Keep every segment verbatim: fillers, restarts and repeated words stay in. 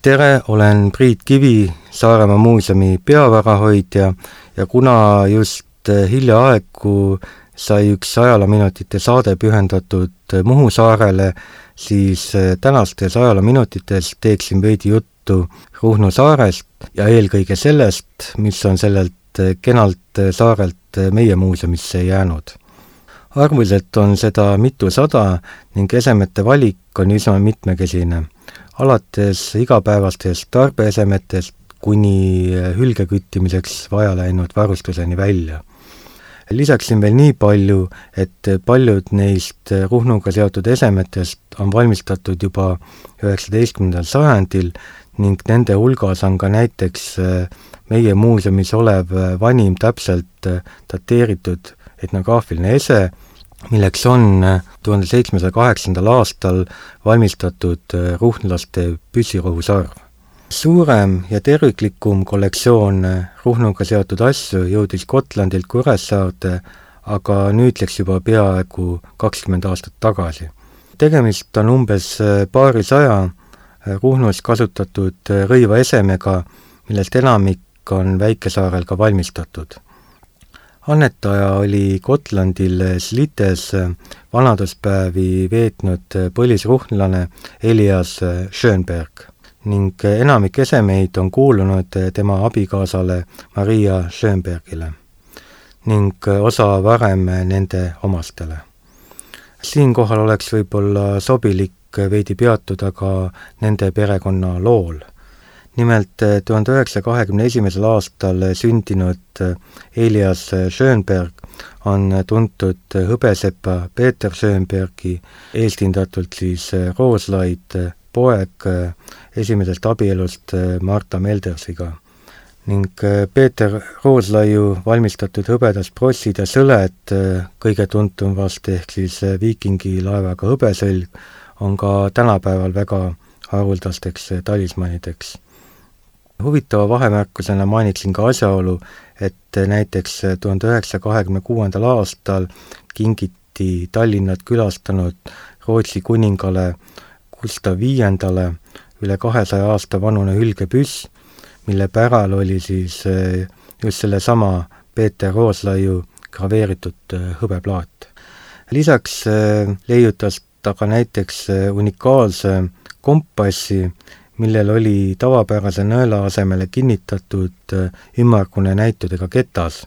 Tere, olen Priit Kivi, Saaremaa muuseumi peavarahoidja ja kuna just hiljaaegu sai üks ajaloominutite saade pühendatud Muhu saarele, siis tänastes ajaloominutites teeksin veidi juttu Ruhnu saarest ja eelkõige sellest, mis on sellelt kenalt saarelt meie muuseumisse jäänud. Arvuliselt on seda mitusada ning esemete valik on üsna mitmekesine, alates igapäevastest tarbeesemetest kuni hülgeküttimiseks vaja läinud varustuseni välja. Lisaksin veel nii palju, et paljud neist Ruhnuga seotud esemetest on valmistatud juba üheksateistkümnendal sajandil ning nende hulgas on ka näiteks meie muuseumis olev vanim täpselt dateeritud etnograafiline ese, milleks on tuhande seitsmesaja kaheksandal aastal valmistatud ruhnlaste püssirohusarv. Suurem ja terviklikum kollektsioon Ruhnuga seotud asju jõudis Gotlandilt Kuressaarde, aga nüüd läks juba peaaegu kakskümmend aastat tagasi. Tegemist on umbes paari saja Ruhnus kasutatud rõivaesemega, millest enamik on Väikesaarel ka valmistatud. Annetaja oli Gotlandil Slites vanaduspäevi veetnud põlisruhnlane Elias Schönberg ning enamik esemeid on kuulunud tema abikaasale Maria Schönbergile ning osa varem nende omastele. Siinkohal oleks võib-olla sobilik veidi peatuda ka nende perekonna lool. Nimelt tuhande üheksasaja kahekümne esimesel aastal sündinud Elias Schönberg on tuntud hõbesepa Peeter Schönbergi, eestindatult siis Rooslaid, poeg esimesest abielust Marta Meldersiga. Ning Peeter Rooslaiu valmistatud hõbedas prossid ja sõled, kõige tuntum vast ehk siis viikingi laevaga hõbesõlg, on ka tänapäeval väga haruldasteks talismanideks. Huvitava vahemärkusena mainiksin ka asjaolu, et näiteks tuhande üheksasaja kahekümne kuuendal aastal kingiti Tallinnat külastanud Rootsi kuningale Gustav viiendale üle kahesaja aasta vanune hülgepüss, mille päral oli siis just selle sama Peeter Rooslaiu graveeritud hõbeplaat. Lisaks leiutas ta ka näiteks unikaalse kompassi, millel oli tavapärase nõela asemele kinnitatud ümmargune näitudega ketas.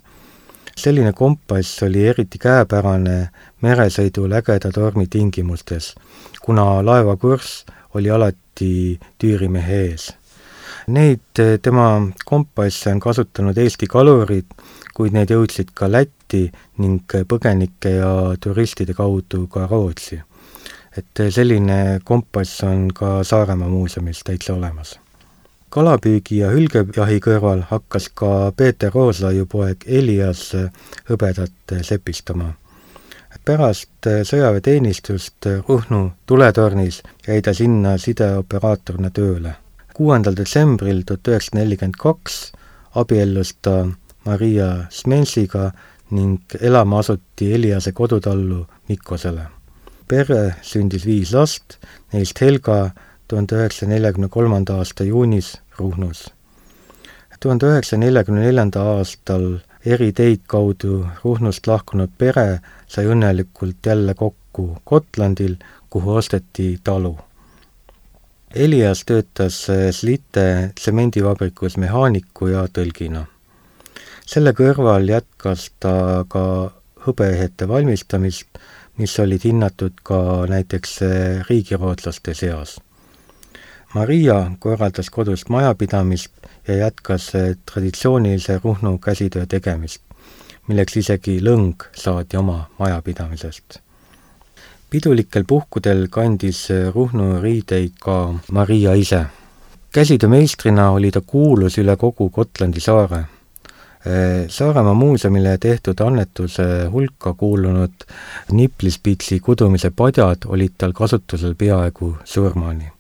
Selline kompass oli eriti käepärane meresõidul ägeda tormi tingimustes, kuna laeva kurss oli alati tüürimehe ees. Neid tema kompasse on kasutanud Eesti kalurid, kuid need jõudsid ka Lätti ning põgenike ja turistide kaudu ka Rootsi. Et selline kompass on ka Saaremaa muuseumis täitsa olemas. Kalapüügi ja hülgejahi kõrval hakkas ka Peeter Rooslaiu poeg Elias hõbedat sepistama. Pärast sõjaväeteenistust Ruhnu tuletornis jäi ta sinna sideoperaatorina tööle. kuuendal detsembril tuhat üheksasada nelikümmend kaks abiellus ta Maria Smensiga ning elama asuti Eliase kodutallu Mikkosele. Pere sündis viis last, neist Helga tuhande üheksasaja neljakümne kolmanda aasta juunis Ruhnus. tuhande üheksasaja neljakümne neljandal aastal eri teid kaudu Ruhnust lahkunud pere sai õnnelikult jälle kokku Gotlandil, kuhu osteti talu. Elias töötas Slite tsemendivabrikus mehaaniku ja tõlgina. Selle kõrval jätkas ta ka hõbeehete valmistamist, mis olid hinnatud ka näiteks riigirootslaste seas. Maria korraldas kodus majapidamist ja jätkas traditsioonilise Ruhnu käsitöö tegemist, milleks isegi lõng saadi oma majapidamisest. Pidulikel puhkudel kandis Ruhnu riideid ka Maria ise. Käsitöömeistrina oli ta kuulus üle kogu Gotlandi saare. Saaremaa muuseumile tehtud annetuse hulka kuulunud niplispitsi kudumise padjad olid tal kasutusel peaaegu surmani.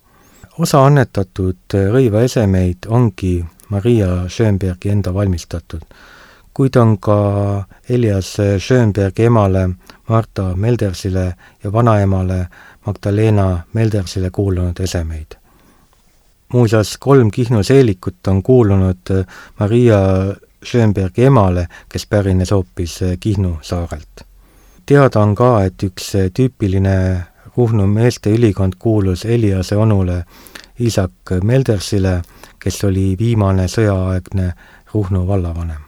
Osa annetatud rõivaesemeid ongi Maria Schönbergi enda valmistatud, kuid on ka Elias Schönbergi emale Marta Meldersile ja vanaemale Magdalena Meldersile kuulunud esemeid. Muuseas, kolm Kihnu seelikut on kuulunud Maria Schönbergi emale, kes pärines hoopis Kihnu saarelt. Teada on ka, et üks tüüpiline Ruhnu meeste ülikond kuulus Eliase onule Isak Meldersile, kes oli viimane sõjaaegne Ruhnu vallavanem.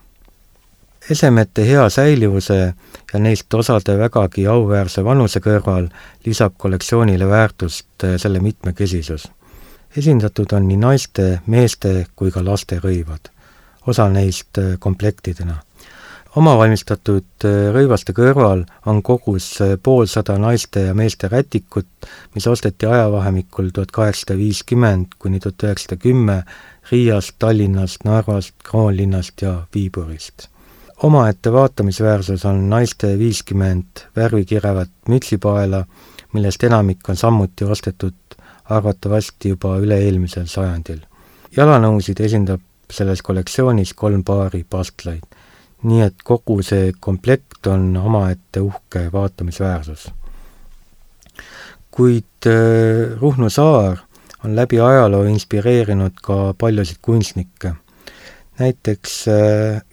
Esemete hea säilivuse ja neist osade vägagi auväärse vanuse kõrval lisab kollektsioonile väärtust selle mitmekesisus. Esindatud on nii naiste, meeste kui ka laste rõivad, osa neist komplektidena. Omavalmistatud rõivaste kõrval on kogus poolsada naiste ja meeste rätikut, mis osteti ajavahemikul tuhat kaheksasada viiskümmend kuni tuhat üheksasada kümme Riiast, Tallinnast, Narvast, Kroonlinnast ja Viiburist. Omaette vaatamisväärsus on naiste viiskümmend värvikirevat mütsipaela, millest enamik on samuti ostetud arvatavasti juba üle-eelmisel sajandil. Jalanõusid esindab selles kollektsioonis kolm paari pastlaid, nii et kogu see komplekt on omaette uhke vaatamisväärsus. Kuid Ruhnu saar on läbi ajaloo inspireerinud ka paljusid kunstnikke. Näiteks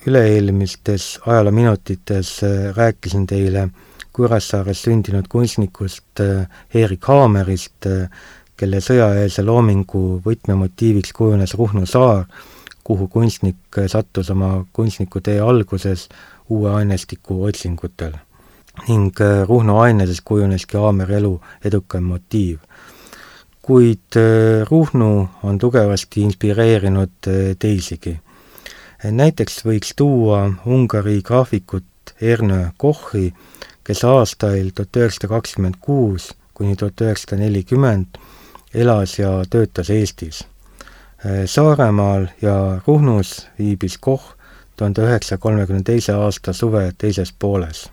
üle-eelmistes ajaloominutites rääkisin teile Kuressaares sündinud kunstnikust Erik Haamerist, kelle sõjaeelse loomingu võtmemotiiviks kujunes Ruhnu saar, kuhu kunstnik sattus oma kunstniku tee alguses uue ainestiku otsingutel. Ning Ruhnu aineses kujuneski Haameri elu edukam motiiv. Kuid Ruhnu on tugevasti inspireerinud teisigi. Näiteks võiks tuua Ungari graafikut Ernő Kochi, kes aastail tuhat üheksasada kakskümmend kuus kuni tuhat üheksasada nelikümmend elas ja töötas Eestis. Saaremaal ja Ruhnus viibis Koch tuhande üheksasaja kolmekümne teise aasta suve teises pooles.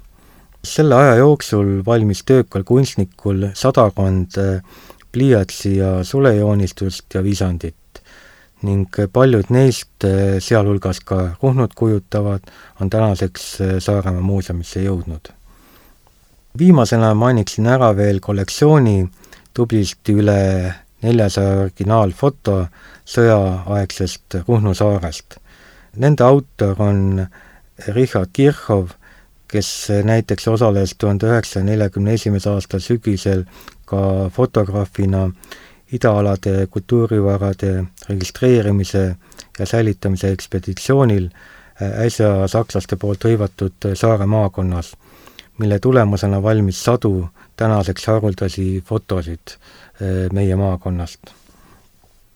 Selle aja jooksul valmis töökal kunstnikul sadakond pliiatsi ja sulejoonistust ja visandit ning paljud neist, sealhulgas ka Ruhnut kujutavad, on tänaseks Saaremaa muuseumisse jõudnud. Viimasena mainiksin ära veel kollektsiooni tublisti üle neljasaja originaalfoto sõjaaegsest Ruhnu saarest. Nende autor on Richard Kirchhoff, kes näiteks osales tuhande üheksasaja neljakümne esimese aasta sügisel ka fotograafina idaalade kultuurivarade registreerimise ja säilitamise ekspeditsioonil äsja sakslaste poolt hõivatud Saare maakonnas, mille tulemusena valmis sadu tänaseks haruldasi fotosid meie maakonnast.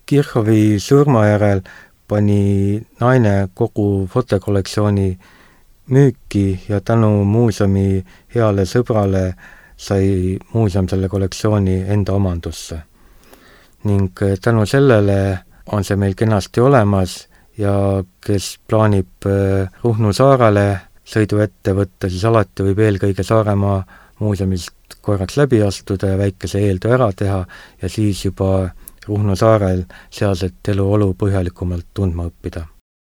Kirchhoffi surma järel pani naine kogu fotokollektsiooni müüki ja tänu muuseumi heale sõbrale sai muuseum selle kollektsiooni enda omandusse. Ning tänu sellele on see meil kenasti olemas ja kes plaanib Ruhnu saarele sõidu ette võtta, siis alati võib eelkõige Saaremaa muuseumist korraks läbi astuda ja väikese eeltöö ära teha ja siis juba Ruhnu saarel sealset eluolu põhjalikumalt tundma õppida.